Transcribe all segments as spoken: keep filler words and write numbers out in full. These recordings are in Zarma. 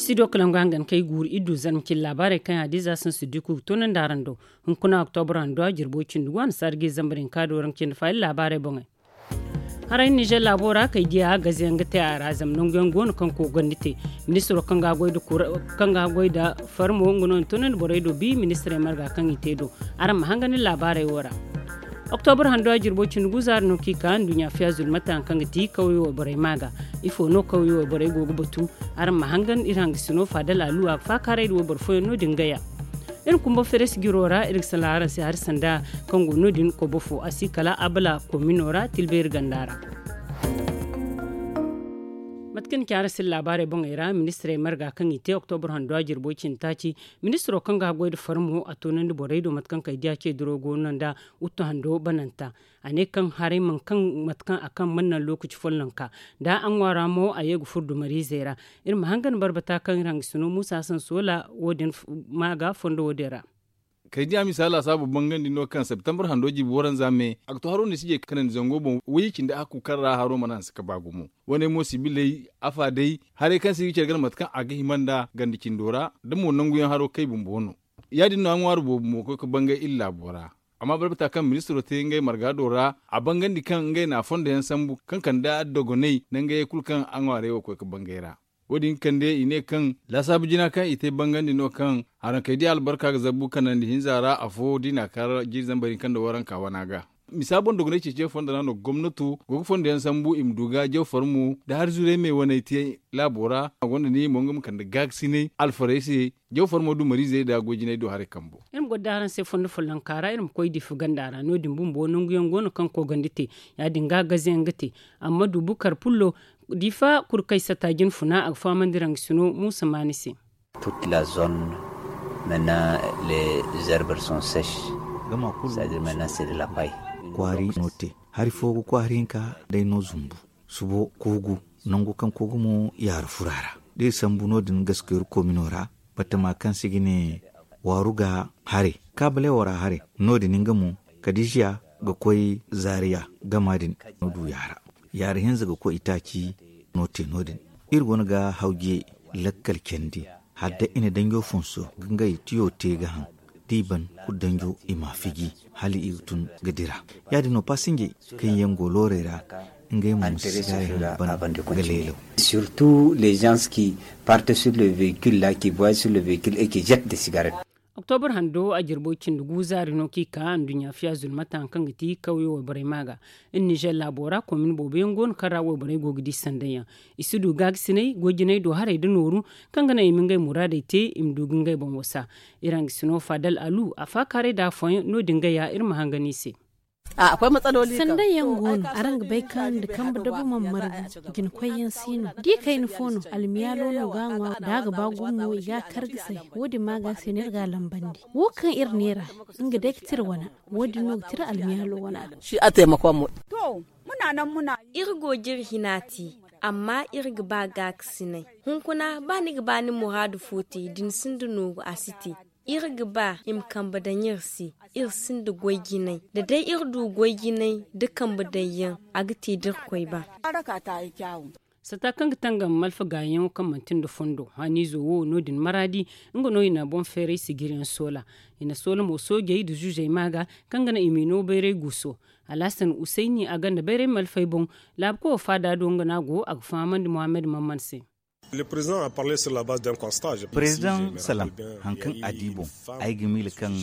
Studio kalangu hangan kay guuru iddu zarma cine laabaarey kaŋ yaŋ a diiza sansu diku ga toonandi araŋ do. Hunkuna oktobra hando a jirbo cindi gu a na saara ga i zambar hinka do raŋ cindi fa iri laabaarey boŋey. Haray nizer laabo ra kay diya gaze yaŋ ga te a ra zama nangu yaŋ go no kaŋ koogandi te. Ministiro kaŋ ga a goy nda farmo nga no na toonandi borey do bi ministirey marga kaŋ i te do. Araŋ ma hangan iri laabaarey wo ra. Oktobra hando a jirbo cindi gu zaari no kaŋ i ka nduɲɲa fiya zulmata haŋ kaŋ ga ti kawyo wayborey ma ga. Ifo no kawyo wayborey go ga batu? Araŋ ma hangan iri hangasino faadal alu a ga faakaaray nda wayboro fooyaŋ no- din gaya. Iri kumba feres jiro ra iri ga salaŋ araŋ se hari sanda kaŋ go no- din kobo fo a si kala abala komino ra tilbeeri ganda ra. Mate kaŋ ni ci araŋ se iri laabaarey boŋey ra ministirey marga kaŋ i te oktobra hando a jirbo cindi taaci. Ministiro kaŋ ga a goy nda farmo a toonandi borey do mate kaŋ kay diya ce duro go no nda wuttu hando bananta. A ne kaŋ haray mankaŋ mate kaŋ a kaŋ mana naŋ lookaci folloŋ ka da a ŋwaara mo a ye ga furo dumariizey ra. Iri ma hangan barbata kaŋ iri hangasino muusa sansola wo- din ma ga fondo wo- din ra. Kay diya misaala saabu bangandi no kaŋ septembre hando jibi waranza me a ga to haro no i si je kanandi zango boŋ wayi cindi hakku kaŋ ra haro mana hanse ga ba gumo. Wane mo sibiley afa day haray kaŋ se i ga care gana mate kaŋ a ga hima nda ganda cindo ra da mo nangu yaŋ haro kay bumbo no. Ya- din no a ŋwaari boobo mo ga koy ga bangay iri laabo ra. Amma barbata kaŋ ministiro te ngey marga do ra a bangandi kaŋ ngey na a fondo yaŋ sambu kaŋ kande dogonay nangayey kulu kaŋ a ŋwaarey wo ga koy ga bangay ra. Wo- din ga kande i ne kaŋ laasaabu jina kaŋ i te bangandi no kaŋ harankey di albarka ga zabbu kanandi hinza ra afo da i na a kar jiiri zambar hinka nda waranka wana ga. Misa boŋ dogonay ceeciyaŋ fondo ra no gomnato go ga fondo yaŋ sambu i ma du ga jaw farmo nda hari zuray me waney te laabo ra a gonda ni mo nga ma kande gaakasinay alfarey se. Jaw farmo dumariizey nda goy jinay do haray kambo. Iri ma goro da araŋ se fondo follonka ra iri ma koy difa ganda ra no- din bumbo nangu yaŋ go no kaŋ koogandi te. Ya- din ga gaze yaŋ ga te. Amma du bukar pullo difa kurkay sata jinfuna a ga fahamandi raŋ ga sino muusa maani se. Toute la zone maintenant les herbes sont sèches. Gama kulu c'est-à-dire maintenant c'est de la paille. Kwaari no te hari fo ga kwaari hinka day no zumbu. Subo koogu nangu kaŋ koogu mo yaara fura ra da iri sambu no- din gaskayru komino ra batama kaŋ se ga ne waaru ga hare kaabale wo ra hare no- din nga mo kadiziya ga koy zaariya gama din no du yaara. Yaara hinza ga koy itaaci no te no- din. Iri go no ga hawje lakkal candi hala day i na danjo fonso ga ngey tiyo te ga haŋ da i ban kulu danjo i ma a fiji hala i ga tun ga dira. Ya- din no pasinjey kaŋ yaŋ go loorey ra ngey mo ma sigaaray haŋ ban ga leelaw. Surtout les gens qui partent sur le véhicule là qui voyagent sur le véhicule et qui jettent des cigarettes. Oktobra hando a jirbo cindi gu zaari no kaŋ i ka nduɲɲa fiya zulmata haŋ kaŋ ga ti kawyo wayborey ma ga. Iri nizer laabo ra komin boobo yaŋ go no kaŋ ra wayborey go ga di sanday yaŋ. I si du gaagasinay goy jinay do haray nda nooru kaŋ ga naŋ i ma ngey muraadey te i ma du ga ngey boŋ wasa. Iri hangasino faadal alu a faakaaray nda afooyaŋ no- din ga ya iri ma hangan i se. Sanday yaŋ go no araŋ ga bay kaŋ nda kambe dabu mana margu. Jinakoy yaŋ si no da i kayna fo no almiyaalo no ga a ŋwa da a ga ba gumo i ga a kar ga say. Wo- din ma ga se no iri ga a lambandi wo kaŋ iri neera nga day ga tira wana. Wo- din no ga tira almiyaalo wana. Iri go ga iri hina te amma iri ga ba gaakasinay. Hunkuna ba ni ga ba ni muraadu fo te da ni sinda nooru a si te. Iri ga ba i ma kambe daŋ iri se. Iri sinda goy jinay da day iri du goy jinay da kambe daŋ yaŋ a ga te da iri koy ba. Sata kaŋ ga tangam malfa gaayaŋo kaŋ manti nda fondo haniizo wo no- din maraadi. Nga no i na boŋ feeray sijiryaŋ soola. I na soola mo soojey nda zuzey ma ga kaŋ ga naŋ i ma i no bayray guuso. Alhasan usayni a gonda bayray malfey boŋ. Laabu koyo faada do nga no a go a ga fahamandi muhammad mamman se. Perezidaŋ salaŋ hari kaŋ a di boŋ ay ga miila kaŋ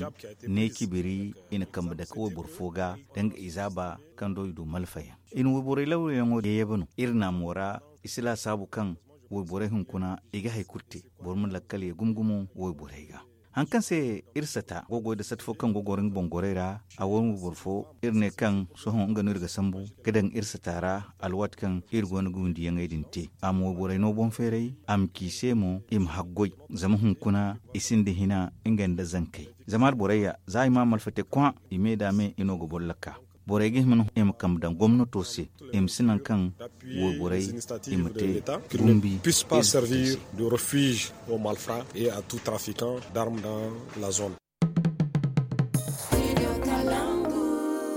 ne cibiri i na kambe dake wayboro fo ga da nga izaaba kaŋ do i du malfayaŋ. I na wayborey lawyaŋo yeeba no iri naamo ra. I si laasaabu kaŋ wayborey hunkuna i ga hari kulu te. Boro ma lakkal ye gumo gumo wayborey ga. Hari kaŋ se iri sata go ga goy nda sata fo kaŋ go ga goro nga boŋ gorey ra. A wo nga boro fo iri ne kaŋ sohõ nga no iri ga sambu ga daŋ iri sata ra. Alwaati kaŋ iri go no ga windiyaŋey din te a ma wayborey no boŋ feeray a ma ci i se mo i ma haggoy. Zama hunkuna i sinda hina nga nda zankey. Zama alborey ya za i ma malfa te koŋ i me da me i no ga boro lakka. Borey ga hima no i ma kambe daŋ gomnato se. I ma si naŋ kaŋ wayborey i ma te gumbi iri se. De refuge aux malfrats et à tout trafiquant d'armes dans la zone.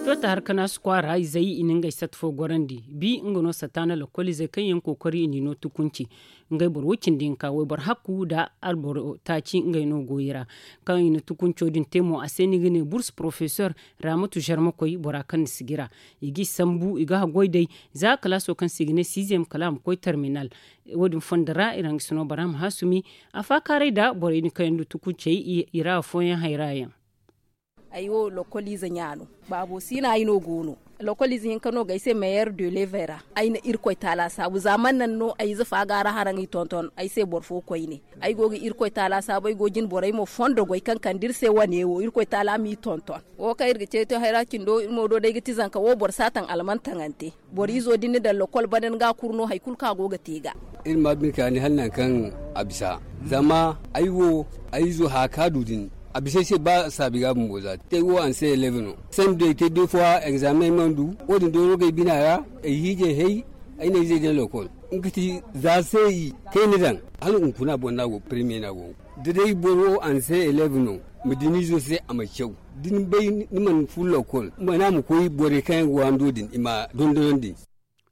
Toota har kana su kwaara izey i na ngey sata fo gorandi bi nga no sataana lokol izey kaŋ yaŋ kookari i n'i no tukunci. Ngey boro wo cindi hinka wayboro hakku nda alboro taaci ngey no go i ra. Kaŋ i na tukunco din te mo a se no i ga ne burs porofesor, raamatu zarmakoy bora kaŋ na sijira. I g'i sambu i ga haggoy day za kalaaso kaŋ se i ga ne siiziyem kala a ma koy terminal. Wo- din fondo ra iraŋ ga si no bora ma haasumi. A faakaaray nda borey din kaŋ yaŋ du tukuncey i ra afooyaŋ hayra yaŋ. Ay wo lokoliize ɲa no. Baabo siina ay no go no. Lokoliize hinka no ga ay se meyer de lever ra. Ay na irkoy taala saabu za man naŋ no ay ize faaga ra haraŋ i tonton ay se boro fo koyne. Ay go ga irkoy taala saabu ay go jine borey mo fondo goy kaŋ kande iri se wane wo irkoy taala m'i tonton. Wo kaŋ iri ga ceeci hayra cindo iri mo do day ga ti zanka wo boro si a taŋ almantaŋante. Boro izo da ni na daŋ lokol banda ni ga a kuru no hari kulu kaŋ a go ga te ga. Iri ma bine kaani hala nangu kaŋ a bisa zama ay wo ay izo haya kaŋ a du din. A bisa ay se ba saabi ga bumbo za te ay wo anse eleven no. Sanda ay te de fo a egzaamen ay mana du. Wo- din dooro ga ay bina ra. Ay hiijay hay ay na ay zey daŋ lokol. Nga ti za se i kay ni daŋ hala hunkuna boŋ no a go premiye no a go. Da day boro anse eleven no ma di ni izo se a ma caw. Da ni bay ni mana furo lokol mana a ma koy borey kaŋ yaŋ go hando din i ma dondonandi.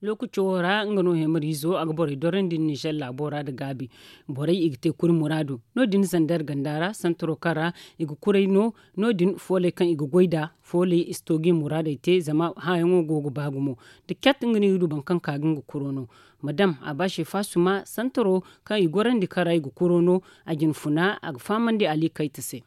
Lookaco wo ra nga no heemariizo a ga borey dorandi nda nizer laabo ra nda gaabi. Borey i ga te kuri muraadu no- din zandar ganda ra santaro kaŋ ra i ga kuray no. No- din fooley kaŋ i ga goy nd'a fooley i si to ga i muraadey te zama hããyaŋo go ga ba gumo. Da cat nga no i ga du boro kaŋ ka ga nga kuro no. Madam a ba se faasuma santaro kaŋ i gorandi kaŋ ra i ga kuro no. A jina funa a ga fahamandi ali kayta se.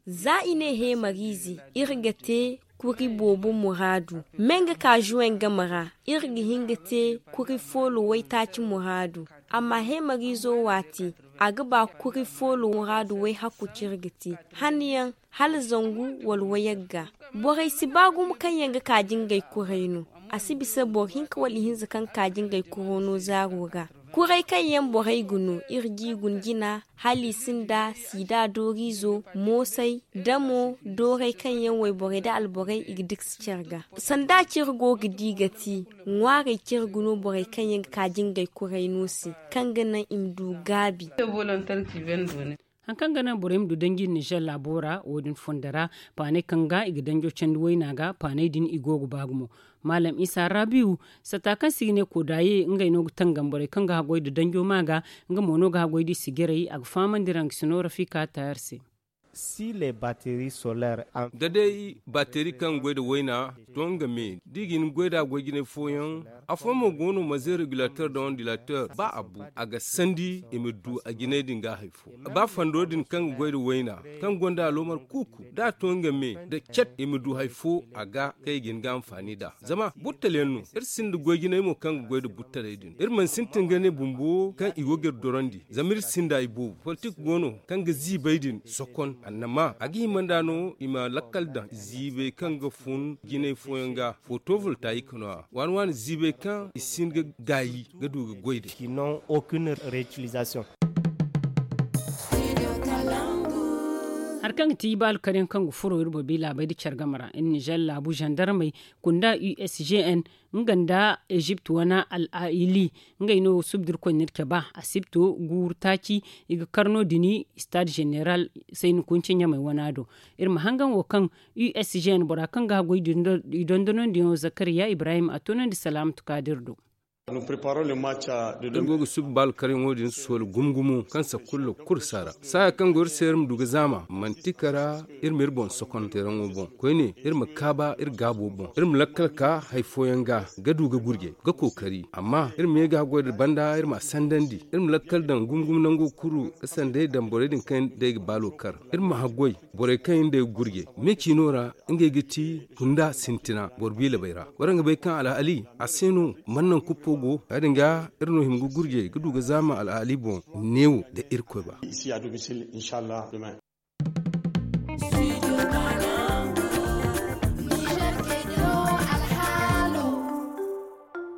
Za i ne heemariize iri ga te kuri boobo muraadu. Me nga ka zuwen game ra iri ga hin ga te kuri foolo waytaaci muraadu. Amma heemariizo waati a ga ba kuri foolo muraadu wayhakku kaŋ iri ga te. Hanyaŋ hala zangu wala wayagga. Borey si ba gumo kaŋ yaŋ ga ka jingay kuray no. A si bisa boro hinka wala ihinza kaŋ ga ka jingay kuro no zaaro ra. Kuray kaŋ yaŋ borey ga no iri ga i guna jina hala i sinda siida dooriizo moosay damo dooray kaŋ yaŋ wayborey nda alborey i ga dikse care ga. Sanda kaŋ iri go ga di ga ti ŋwaarey kaŋ iri ga no borey kaŋ yaŋ ga ka jingay kuray no se kaŋ ga naŋ i ma du gaabi. Hari kaŋ ga naŋ borey ma du danji nizer laabo ra wo- din fondo ra paaney kaŋ ga i ga danjo candi wayna ga paaney din i go ga ba gumo. Maalam isa rabiyu sata kaŋ se i ga ne kodaye ngey no ga tangam borey kaŋ ga haggoy nda danjo ma ga. Nga mo no ga haggoy nda i sijiray a ga fahamandi raŋ ga si no rafika tayar se. Da day bateri kaŋ ga goy nda wayna to nga me da i ga hin ga goy nd'a goy jinay fooyaŋ. Afooyaŋ mo go no ma ze regulater da wandilater ba a bu a ga sandi i ma du a jinay din ga hari fo. Ba fondo din kaŋ ga goy nda wayna kaŋ gonda aloomar kuuku da a to nga me nda cat i ma du hari fo a ga kaŋ i ga hin ga hanfaani nd'a. Zama burtal yaŋ no iri sinda goy jinay mo kaŋ ga goy nda burtaley din iri mana sintin ga ne bumbo kaŋ i go ga iri dorandi. Zama iri sinda iboobo politik go no kaŋ ga ziibey din sokon annama a ga hima nd'a no i ma lakkal daŋ ziibey kaŋ ga fun jinay fooyaŋ ga fotovoltayik no- ya waani waani ziibey kaŋ i si hin ga gaayi ga du ga goy day. Hari kaŋ ga ti baalu karyaŋ kaŋ ga furo iri bobi laabey nda care game ra iri nizer laabu zandarmey kunda usgn nga nda ezipt wane al aili. Ngey no suba da irkoy na iri cabe asibto guuru taaci i ga kar no- din istad zeneral sayni kunce ɲamey wana do. Iri ma hangan wo kaŋ usgn bora kaŋ ga haggoy i dondonandiyaŋo zakariya ibrahim a toonandi salaamatu ka da iri do. Iri go ga suba baalu karyaŋo din soola gumo gumo kaŋ sakulla kulu si a ra saaya kaŋ go iri se iri ma du ga zaama manti kara iri ma iri boŋ sokon teeraŋo boŋ koyne iri ma kaaba iri gaabo boŋ iri ma lakkal ka hari fooyaŋ ga ga du ga gurjay ga kookari amma iri ma ye ga haggoy din banda iri m'a sandandi iri ma lakkal daŋ gumo gumo nango kulu ga sanday daŋ borey din kaŋ day ga baalo kar iri ma haggoy borey kaŋ yaŋ day ga gurjay me ciino ra ngey ga ti kunda sintina boro biilabey ra waraŋ ga bay kaŋ alhaali a se no mana naŋ kuppo go ya- din ga iri no hima ga gurjay ga du ga zaama alhaali boŋ neewo nda irkoy ba.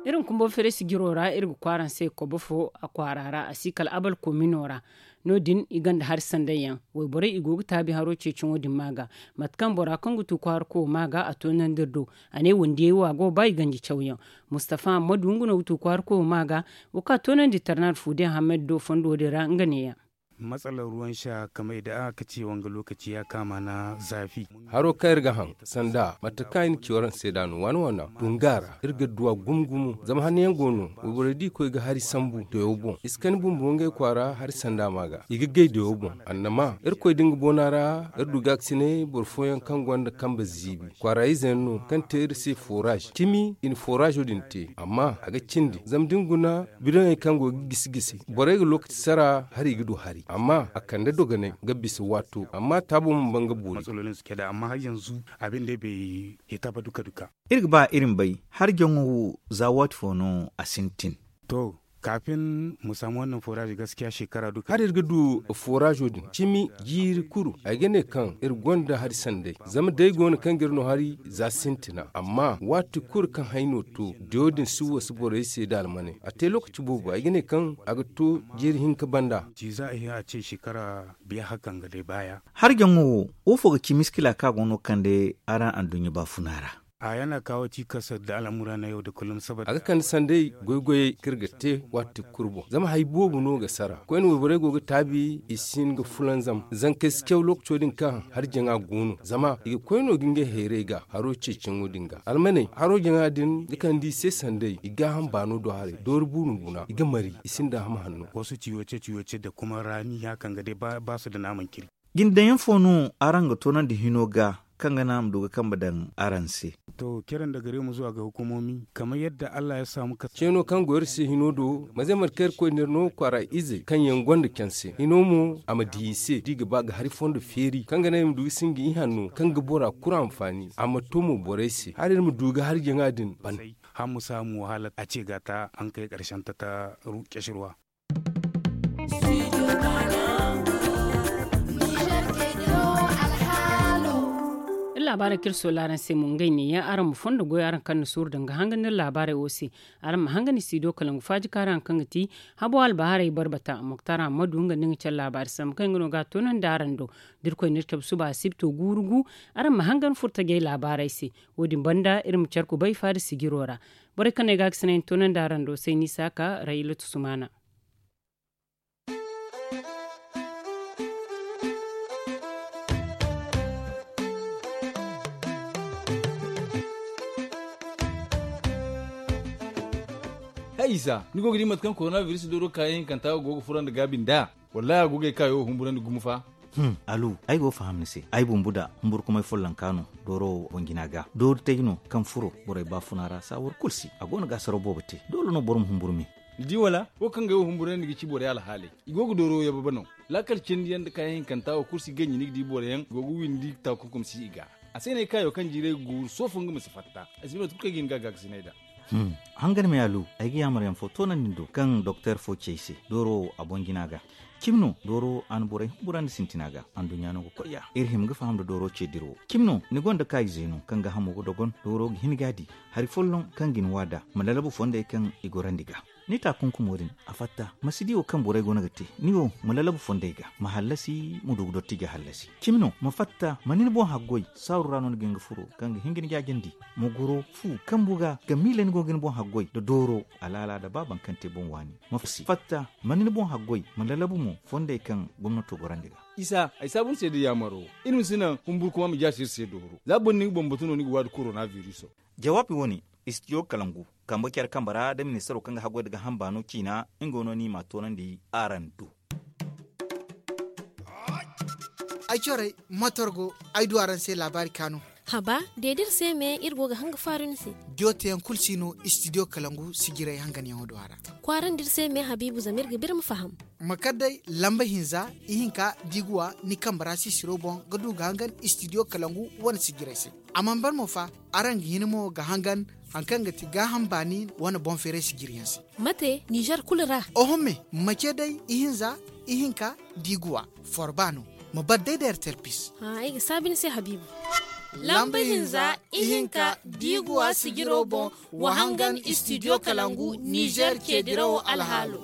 Iri ma kumbo fere sijiro ra iri ga kwaara araŋ se kobo fo a kwaara ra a si kala abal komino ra. No- din i gonda hari sanday yaŋ wayborey i go ga taabi haro ceeciyaŋo din ma ga mate kaŋ bora kaŋ ga tu kwaara koyo ma ga a toonandi iri do. A ne wandiyey wo a go ga ba i ganji cawyaŋ. Mustafa hammadu nga no ga tu kwaara koyo ma ga. Wo kaŋ a toonandi tarnaad fuudiyaŋ hammadu do fondo din ra nga ne- ya. Matsalar ruwan sha kamay da aka ce wanga lokaci ya kama na zafi. Haro kaŋ iri ga haŋ sanda mate kaŋ i na ci waraŋ se da no waana waana dunga ra iri ga duwa gumo gumo. Zama hanno yaŋ go no wayborey da i koy ga hari sambu doyo boŋ i si kani bumbo ngey kwaara hari sanda ma ga i ga gay doyo boŋ. Annama irkoy da nga boona ra iri du gaakasinay boro fooyaŋ kaŋ gonda kambe ziibi kwaara ize yaŋ no kaŋ te iri se foraaz cimi i na foraazo din te amma a ga cindi zama da ni guna bidoŋey kaŋ go ga gisi gisi borey ga lokaci sara hari i ga du hari amma a kande dogonay ga bisa waato amma taabo ma ban ga boori. Matsalolin suke da amma har yanzu abin da bai hita ba duka duka. Iri ga ba iri ma bay harjaŋo wo za waati fo no a sintin. To, kafin mu samu wannan foraazo gaskiya shekara duka. Hala iri ga du foraazo din cimi jiiri kulu ay ga ne kaŋ iri gonda hari sanday zama day go no kaŋ ga iri no hari za sintina amma waati kulu kaŋ hayno to diyo din si wasu borey se da almaney a te lokaci boobo ay ga ne kaŋ a ga to jiiri hinka banda. Ci za a hin a ce shekara biya hakan ga day baaya. Harjaŋo wo wo fo ga ci miskila kaŋ a go no kande araŋ anduɲɲa baafuna ra? A yana kawo cikas da al'amura na yau da kullum saboda a ga kande sanday goy-goyey kaŋ iri ga te waati kulu boŋ zama hari boobo no ga sara koyne wayborey go ga taabi i si hin ga fulanzam zankey si caw lookaco din kaŋ harjaŋa go no zama i ga koy no ga ngey hayray ga haro ceeciyaŋo din ga almaney haro jaŋa din ga kande i se sanday i gaaham baano do haray doori buuru guna i ga mari i sinda hama hanno. Wasu ciyo ce ciyo ce da kuma raani ya kaŋ ga day ba su da naaman kirki. Jindayaŋ fo no araŋ ga toonandi hino ga kaŋ ga naŋ a ma du ga kambe daŋ araŋ se? To kira nda gare mu zuwa ga hukumomi kamar yadda allah ya samu ka. Ceeno kaŋ go iri se hino do maze mate kaŋ iri koy no iri no kwaara izey kaŋ yaŋ gonda canse hino mo a ma di i se da i ga ba ga hari fondo feeri kaŋ ga naŋ i ma du ga singa ihanno kaŋ ga bora kulu anfaani a ma to mo borey se hala iri ma du ga hari jaŋa din ban. Har mu samu wahala a ce ga ta an kay karshen ta ta. Kashirwa. Iri laabaarey kaŋ iri soola araŋ se mo ngey ne yaŋ araŋ ma fondo goy araŋ kaŋ na suuru danga hangan iri laabaarey wo se. Araŋ ma hangan studio kalangu faaji kaara haŋ kaŋ ga ti habo albahaarey barbata moktar hammadu nga nda nga care laabaari sambu kaŋ nga no ga a toonandi araŋ do. Da irkoy na iri cabe suba asibto guuru gu araŋ ma hangan furtajey laabaarey se. Wo- din banda iri ma care kubay faada sijiro ra. Borey kaŋ no ay ga a ga sinay nda toonandi araŋ do sayni saaka rayilatu sumaana. Hay isa ni go ga di mate kaŋ korona biris dooro kaayaŋ hinkanta go ga furandi gaabi nd'a? Wallaahi a go ga ay kaayo wo humburandi gumo fa. Alu, ay go ga faham ni se ay bumbo da humburkumay follonka no dooro wo boŋ jina ga doori tay no kaŋ furo borey baafuna ra saawar kulu se a go no ga asaraw boobo te doole no boro ma humburu me. Ni di wala wo kaŋ ga ay wo humburandi ga ci borey alhaaley i go ga dooro wo yababa no. Laakal cindi yaŋ nda kaayaŋ hinkanta wo kulu si ganji ni ga di boro yaŋ i go ga windi taakunkum si i ga. A se no ay kaayo kaŋ jiiray ga guuru soofo nga ma si fatta ay si bay mate kulu kaŋ ay ga hin ga a gaakasinay nd'a. Hangan me alu, ay ga yaamar yaŋ fo toonandi ni do kaŋ doktor fo ci ay se dooro wo a boŋ jina ga. Cimi no dooro a na borey humburandi sintina ga anduɲɲa no ga koy ya iri hima ga faham nda dooro ce dira wo cimi no ni gonda kaayizey no kaŋ ga hamo ga dogon dooro ga hin ga a di hari folloŋ kaŋ ga ni waada ma lalabu fondey kaŋ i gorandi ga. Ni taakunkumo din a fatta ma si di wo kaŋ borey go no ga te ni wo ma lalabu fondey ga ma hallasi ma du ga dottija hallasi cimi no ma fatta ma ni ni boŋ haggoy saaru ra no ni ga hin ga furo kaŋ ga hin ga ni jaajandi ma goro fu kambu ga ga miila ni go ga ni boŋ haggoy nda dooro alaala nda ba baŋ kaŋ te boŋ waani ma fatta ma ni ni boŋ haggoy ma lalabu mo fondey kaŋ gomnato gorandi ga. Isa ay saabu ni se da yaamaro iri ma si naŋ humburkuma ma jaasi iri se dooro za boro na ni ga boŋ batu no ni ga waadi korona viriso. Jawaabi wo- ne istidiyo kalangu kambe care kambe ra da ministaro kaŋ ga haggoy nda ga hamba no ciina nga wo no ni ma a toonandi araŋ do. Ay corey motor go ay du araŋ se laabaari kaanu. Haba de da iri se me iri go ga hanga faaru ni se. Jooteyaŋ kulu si no istidiyo kalangu sijiray hanganyaŋo do a ra. Kwaarandi iri se me habiibu zama iri ga ba iri ma faham. Ma kar day lamba hinza ihinka da i ga wa ni kambe ra sisiro boŋ ga du ga hangan istidiyo kalangu wane sijiray se. A mana ban mo fa araŋ ga hin mo ga hangan hari kaŋ ga ti gaaham baani wane boŋ feeray sijiryaŋ se. Mate nizer kulu ra? Oho me ma ce day ihinza ihinka da i ga wa forba no ma bar day da ertel pis. Ay ga saabi ni se habiibu. Lamba hinza ihinka da i ga wa sijiro boŋ wa hangan istidiyo kalangu nizer ceedirawo alhaalo.